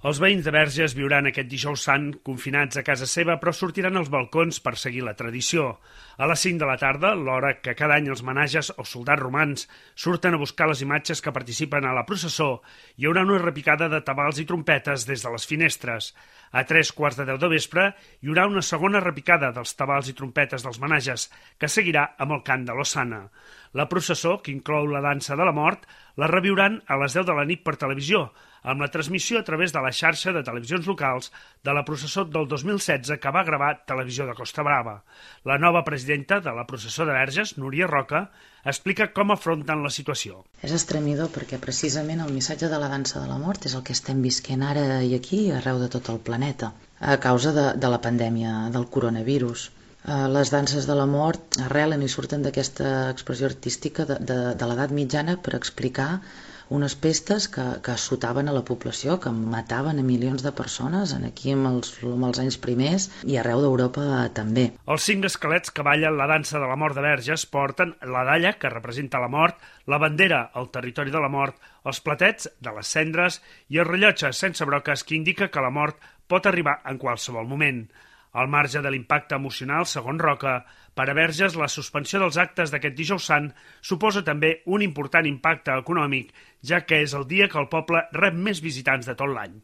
Els veïns de Verges viuran aquest dijous sant confinats a casa seva, però sortiran als balcons per seguir la tradició. A les 5 de la tarda, l'hora que cada any els menages o soldats romans surten a buscar les imatges que participen a la processó, hi haurà una repicada de tabals i trompetes des de les finestres. A 3:15 de vespre hi haurà una segona repicada dels tabals i trompetes dels menages, que seguirà amb el cant de l'Osana. La processó, que inclou la dansa de la mort, la reviuran a les 10 de la nit per televisió, amb la transmissió a través de la xarxa de televisions locals de la processó del 2016 que va gravar Televisió de Costa Brava. La nova presidenta de la processó de Verges, Núria Roca, explica com afronten la situació. És estremidor perquè precisament el missatge de la dansa de la mort és el que estem visquent ara i aquí arreu de tot el planeta a causa de la pandèmia del coronavirus. Les danses de la mort arrelen i surten d'aquesta expressió artística de l'edat mitjana per explicar unes pestes que assotaven a la població, que mataven a milions de persones aquí amb els anys primers i arreu d'Europa també. Els 5 esquelets que ballen la dansa de la mort de Verges porten la dalla, que representa la mort, la bandera, el territori de la mort, els platets de les cendres i el rellotge sense broques que indica que la mort pot arribar en qualsevol moment. Al marge de l'impacte emocional, segons Roca, per a Verges la suspensió dels actes d'aquest dijous sant suposa també un important impacte econòmic, ja que és el dia que el poble rep més visitants de tot l'any.